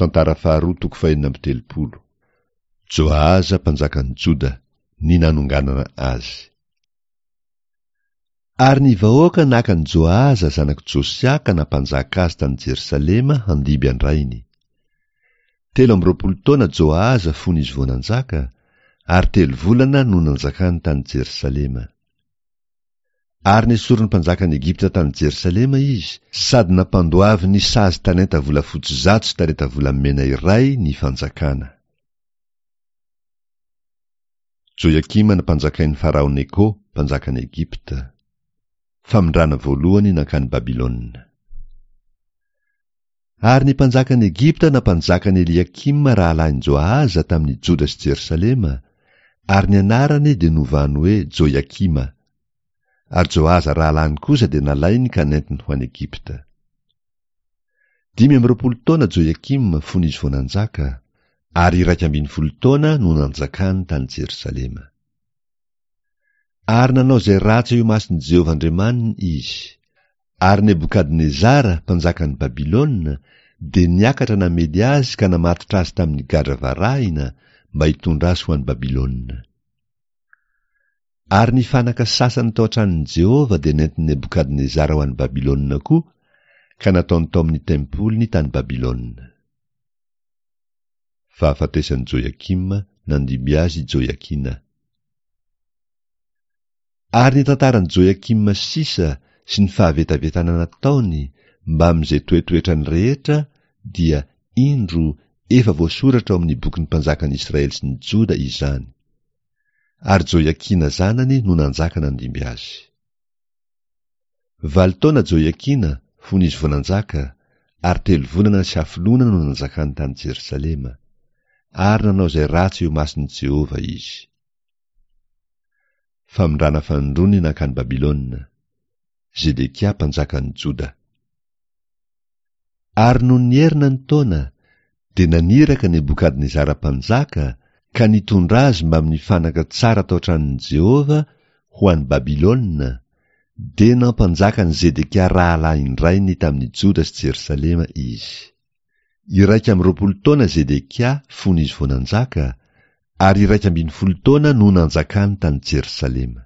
Tantara faharoa toko fahenina amby telopolo. Joahaza mpanjakan'i Joda, ny nanonganana azy. Ary ny vahoaka naka an'i Joahaza zanak'i Josia ka nampanjaka azy tany Jerosalema handimby an-drainy. 23 taona Joahaza fony izy vao nanjaka, ary telo volana no nanjakany tany Jerosalema. Ary nesorin'ny mpanjakan'i Egypta tany Jerosalema izy, sady nampandoaviny sazy talenta volafotsy 100 sy talenta volamena iray ny fanjakana. Joiakima nampanjakain'i Farao Neko, mpanjakan'i Egypta. Famindrana voalohany nankany Babylona. Ary ny mpanjakan'i Egypta nampanjaka an'i Eliakima rahalahin'i Joahaza tamin'i Joda sy Jerosalema, ary ny anarany dia novany hoe Joiakima. Ary Joahaza rahalahiny kosa dia nalainy ka nentiny ho any Egypta. 25 taona Joiakima fony izy vao nanjaka, ary 11 taona no nanjakany tany Jerosalema. Ary nanao izay ratsy eo imason'i Jehovah Andriamaniny izy. Ary Nebokadnezara, mpanjakan'i Babylona, dia niakatra namely azy ka namatotra azy tamin'ny gadra varahina mba hitondra azy ho any Babylona. Ary ny fanaka sasany tao an-tranon'i Jehovah dia nentin'i Nebokadnezara ho any Babylona koa, ka nataony tao amin'ny tempoliny tany Babylona. Fahafatesan'i Joiakima, nandimby azy i Joiakina. Ary ny tantaran'i Joiakima sisa sy ny fahavetavetana nataony mbamin'izay toetoetrany rehetra dia, indro, efa voasoratra ao amin'ny bokin'ny mpanjakan'i Israely sy ny Joda izany. Ary Joiakina zanany no nanjaka nandimby azy. Valo taona Joiakina fony izy vao nanjaka, ary telo volana sy hafoloana no nanjakany tany Jerosalema. Ary nanao izay ratsy eo imason'i Jehovah izy. Famindrana fanindroany nankany Babylona. Zedekia mpanjakan'i Joda. Ary nony nierina ny taona, dia naniraka Nebokadnezara mpanjaka ka nitondra azy mbamin'ny fanaka tsara tao an-tranon'i Jehovah ho any Babylona, dia nampanjaka an'i Zedekia rahalahin-drainy tamin'i Joda sy Jerosalema izy. 21 taona Zedekia fony izy vao nanjaka, ary 11 taona no nanjakany tany Jerosalema.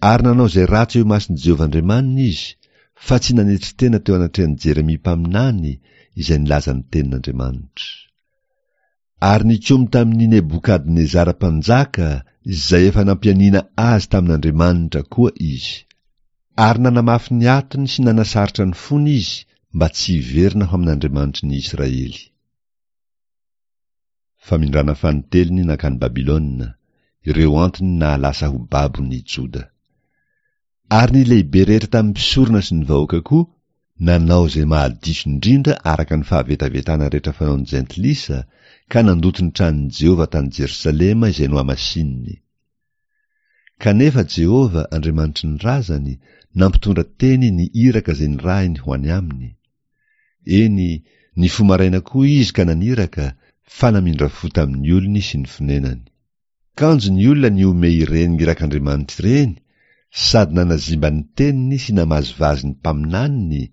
Ary nanao izay ratsy eo imason'i Jehovah Andriamaniny izy, fa tsy nanetry tena teo anatrehan'i Jeremia mpaminany izay nilaza ny tenin'Andriamanitra. Ary nikomy tamin'i Nebokadnezara mpanjaka izay efa nampianiana azy tamin'Andriamanitra koa izy. Ary nanamafy ny atony sy nanasarotra ny fony izy mba tsy hiverina ho amin'Andriamanitry ny Israely. Famindrana fanintelony nankany Babylona, ireo antony nahalasa ho babo ny Joda. Ary ny lehibe rehetra tamin'ny mpisorona sy ny vahoaka koa nanao izay mahadiso indrindra araka ny fahavetavetana rehetra fanaon'ny jentilisa, ka nandoto ny tranon'i Jehovah tany Jerosalema izay nohamasininy. Kanefa Jehovah, Andriamanitry ny razany, nampitondra teny ny iraka izay nirahiny ho any aminy. Eny, nifoha maraina koa izy ka naniraka, fa namindra fo tamin'ny olony sy ny fonenany. Kanjo ny olona nihomehy ireny irak'Andriamanitra ireny sady nanazimba ny teniny sy namazivazy ny mpaminaniny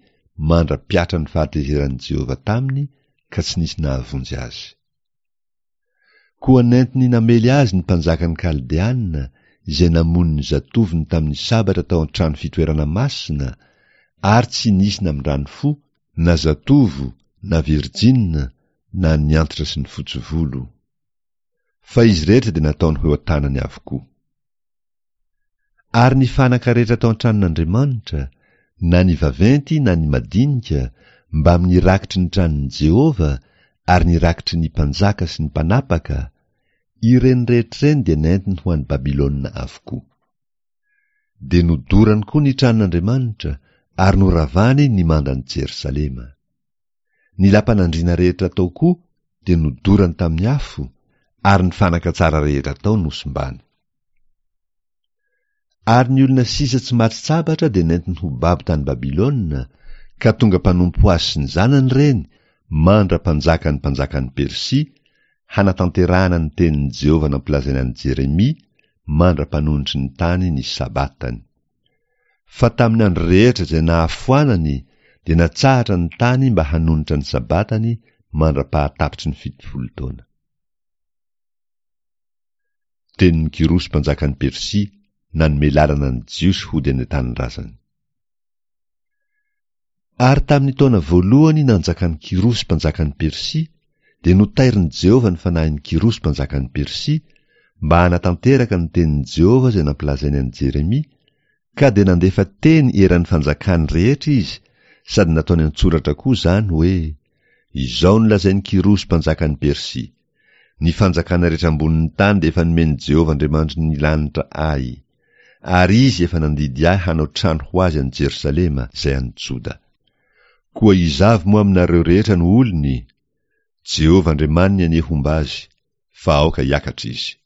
mandra-piatra ny fahatezeran'i Jehovah taminy ka tsy nisy nahavonjy azy. Koa nentiny namely azy ny mpanjakan'ny Kaldeana izay namono ny zatovony tamin'ny sabatra tao an-trano fitoerana masina, ary tsy nisy namindrany fo, na zatovo, na virjina, na ny antitra sy ny fotsy volo. Fa izy rehetra dia nataony ho eo an-tanany avokoa. Ary ny fanaka rehetra tao an-tranon'Andriamanitra, na ny vaventy na ny madinika, mbamin'ny rakitry ny tranon'i Jehovah ary ny rakitry ny mpanjaka sy ny mpanapaka, ireny rehetra ireny dia nentiny ho any Babylona avokoa. Dia nodorany koa ny tranon'Andriamanitra ary noravany ny mandan'i Jerosalema. Ny lapan'andriana rehetra tao koa dia nodorany tamin'ny afo, ary ny fanaka tsara rehetra tao nosimbany. Ary ny olona sisa tsy maty sabatra dia nentiny ho babo tany Babylona, ka tonga mpanompo azy sy ny zanany ireny, mandra-panjakan'ny mpanjakan'i Persia, hanatanterahana ny tenin'i Jehovah nampilazaina an'i Jeremia, mandra-panonitry ny tany ny sabatany. Fa tamin'ny andro rehetra izay nahafoanany, dia natsahatra ny tany mba hanonitra ny Sabatany mandra-pahatapitry ny 70 taona. Tenin'i Kyrosy mpanjakan'i Persia nanome lalana ny Jiosy hody any an-tanindrazany. Ary tamin'ny taona voalohany nanjakan'i Kyrosy mpanjakan'i Persia, dia notairin'i Jehovah ny fanahin'i Kyrosy mpanjakan'i Persia, mba hanatanteraka ny tenin'i Jehovah izay nampilazainy an'i Jeremia, ka dia nandefa teny eran'ny fanjakany rehetra izy, sady nataony an-tsoratra koa izany hoe, Izao no lazain'i Kyrosy mpanjakan'i Persia, Ny fanjakana rehetra ambonin'ny tany dia efa nomen'i Jehovah Andriamanitry ny lanitra ahy, ary izy efa nandidy ahy hanao trano ho azy any Jerosalema, izay any Joda. Koa iza avy moa aminareo rehetra no olony? Jehovah Andriamaniny anie homba azy, fa aoka hiakatra izy.